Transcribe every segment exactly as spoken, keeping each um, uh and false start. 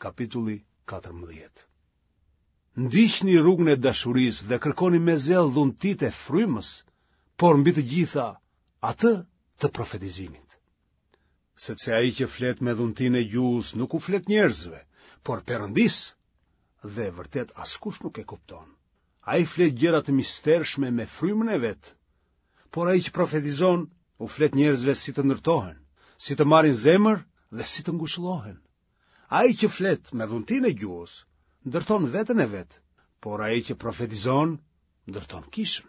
Kapitulli katërmbëdhjetë. Ndiqni rrugën e dashurisë dhe kërkoni me zell dhuntitë e frymës, por mbi të gjitha atë të profetizimit. Sepse ai që flet me dhuntinë e gjuhës nuk u flet njerëzve, por Perëndisë, dhe vërtet askush nuk e kupton. Ai flet gjëra të mistershme me frymën e vet, por ai që profetizon u flet njerëzve si të ndërtohen, si të marrin zemër dhe si të ngushëllohen. Ai që flet me dhuntinë e gjuhës, ndërton veten e vet, por ai që profetizon, ndërton kishën.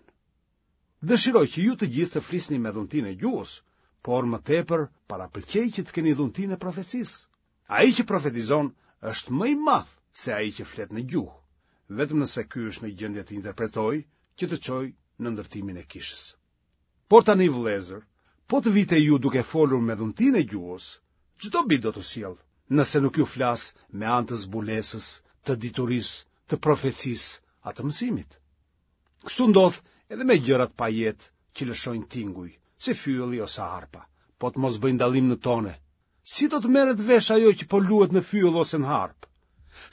Dëshiroj që ju të gjithë të flisni me dhuntinë e gjuhës, por më tepër parapëlqej që të keni dhuntinë e profecisë. Ai që profetizon është më i madh se ai që flet në gjuhë, vetëm nëse ky është në gjendje të interpretojë që të çojë në ndërtimin e kishës. Por tani vëllezër, po të vij te ju duke folur me dhuntinë e gjuhës, ç'dobi do t'u sjell, nëse nuk ju flas me anë të zbulesës, të diturisë, të profecisë a të mësimit? Kështu ndodh edhe me gjërat pa jetë që lëshojnë tinguj, si fyelli ose harpa, po të mos bëjnë dallim në tone. Si do të merret vesh ajo që po luhet në fyell ose në harpë?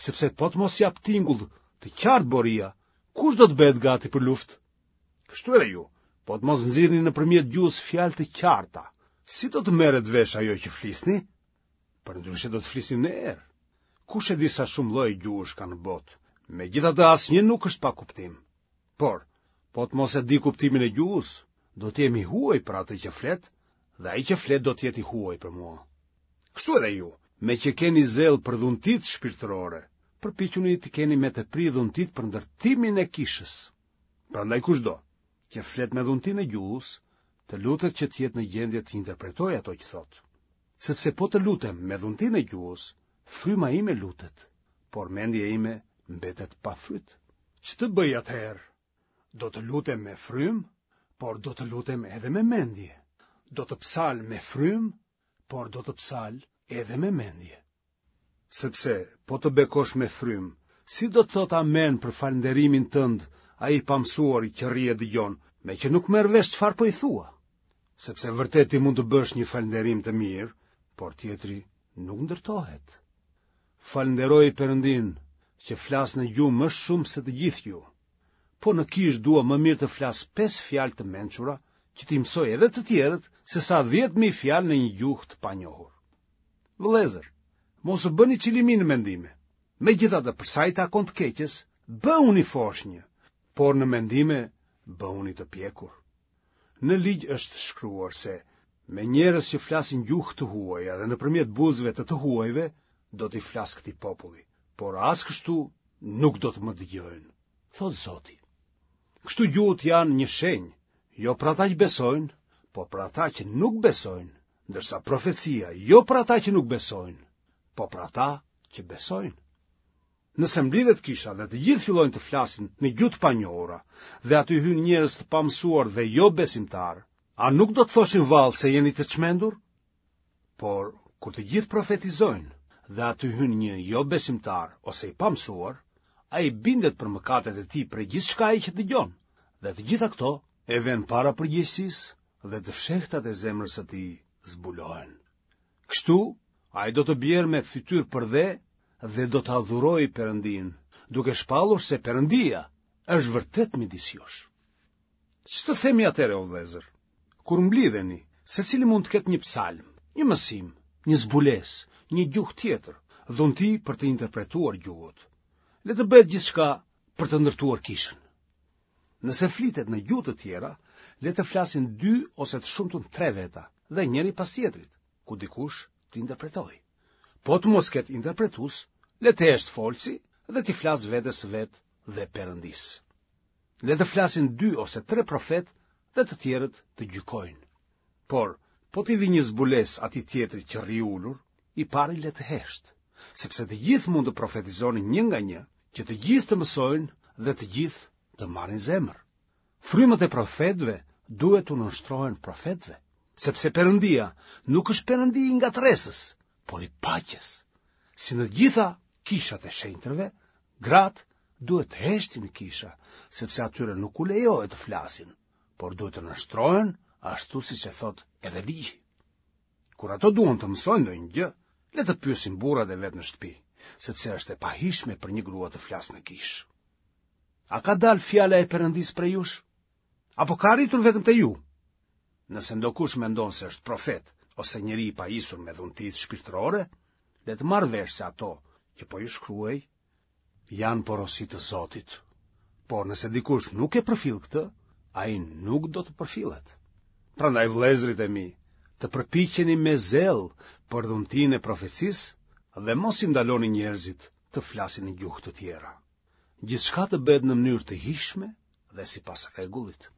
Sepse po të mos japë tingull të qartë boria, kush do të bëhet gati për luftë? Kështu edhe ju, po të mos nxirrni nëpërmjet gjuhës fjalë të qarta, si do të merret vesh ajo që flisni? Përndryshe do të flisni në erë. Kush e di sa shumë lloje gjuhësh ka në botë, megjithatë asnjë nuk është pa kuptim. Por, po të mos e di kuptimin e gjuhës, do të jem i huaj për atë që flet, dhe ai që flet do të jetë i huaj për mua. Kështu edhe ju, meqë keni zell për dhuntitë shpirtërore, përpiquni të keni me tepri dhuntitë për ndërtimin e kishës. Prandaj kushdo që flet me dhuntinë e gjuhës, të lutet që të jetë në gjendje të interpretojë ato që thotë. Sepse po të lutem me dhuntinë e gjuhës, fryma ime lutet, por mendja ime mbetet pa fryt. Ç'të bëj atëherë? Do të lutem me frymë, por do të lutem edhe me mendje. Do të psal me frymë, por do të psal edhe me mendje. Sepse po të bekosh me frymë, si do të thotë amen për falënderimin tënd ai i pamësuari që rri e dëgjon, meqë nuk merr vesh çfarë po i thua? Sepse vërtet ti mund të bësh një falënderim të mirë, por tjetri nuk ndërtohet. Falënderoj Perëndinë që flas në gjuhë më shumë se të gjithë ju. Po në kishë dua më mirë të flas pesë fjalë të mençura që t'i mësoj edhe të tjerët se sa dhjetë mijë fjalë në një gjuhë të panjohur. Vëllezër, mos u bëni çilimi në mendime. Megjithatë, për sa i takon të keqes, bëhuni foshnjë, por në mendime bëhuni të pjekur. Në ligj është shkruar se me njerëz që flasin gjuhë të huaja dhe nëpërmjet buzëve të të huajve do t'i flas këtij populli, por as kështu nuk do të më dëgjojnë, thotë Zoti. Kështu gjuhët janë një shenjë, jo për ata që besojnë, por për ata që nuk besojnë, ndërsa profecia jo për ata që nuk besojnë, po për ata që besojnë. Nëse mblidhet kisha dhe të gjithë fillojnë të flasin në gjuhë të panjohura dhe aty hyjnë njerëz të pamësuar dhe jo besimtarë, a nuk do të thoshin vallë se jeni të çmendur? Por kur të gjithë profetizojnë dhe aty hyn një jo besimtar ose i pamësuar, ai bindet për mëkatet e tij prej gjithçkaje që dëgjon, dhe të gjitha këto e vënë para përgjegjësisë dhe të fshehtat e zemrës së tij zbulohen. Kështu, ai do të bjerë me fytyrë përdhe dhe do të adhurojë Perëndinë, duke shpallur se Perëndia është vërtet midis jush. Ç'të themi atëherë, o vëllezër? Kur mblidheni, secili mund të ketë një psalm, një mësim, një zbulesë, një gjuhë tjetër, dhunti për të interpretuar gjuhët. Le të bëhet gjithçka për të ndërtuar kishën. Nëse flitet në gjuhë të tjera, le të flasin dy ose të shumtën tre veta dhe njëri pas tjetrit, ku dikush të interpretojë. Po të mos ketë interpretues, le të heshtë folësi dhe t'i flasë vetes së vet dhe Perëndisë. Le të flasin dy ose tre profetë dhe të tjerët të gjykojnë. Por, po t'i vijë një zbulesë atij tjetrit që rri ulur, i pari le të heshtë, sepse të gjithë mund të profetizoni një nga një, që të gjithë të mësojnë dhe të gjithë të marrin zemër. Frymët e profetëve duhet t'u nënshtrohen profetëve, sepse Perëndia nuk është Perëndi i ngatërresës, por i paqes. Si në të gjitha kishat e shenjtërve, gratë duhet të heshtin në kisha, sepse atyre nuk u lejohet të flasin, por duhet të nënshtrohen ashtu siç e thotë edhe ligji. Kur ato duan të mësojnë ndonjë gjë, le të pyesin burrat e vet në shtëpi, sepse është e pahijshme për një grua të flasë në kishë. A ka dalë fjala e Perëndisë prej jush? Apo ka arritur vetëm te ju? Nëse ndokush mendon se është profet ose njeri i pajisur me dhuntitë shpirtërore, le të marrë vesh se ato që po ju shkruaj janë porosi të Zotit. Por nëse dikush nuk e përfill këtë, ai nuk do të përfillet. Prandaj vëllezërit e mi, të përpiqeni me zell për dhuntinë e profecisë dhe mos i ndaloni njerëzit të flasin në gjuhë të tjera. Gjithçka të bëhet në mënyrë të hijshme dhe sipas rregullit.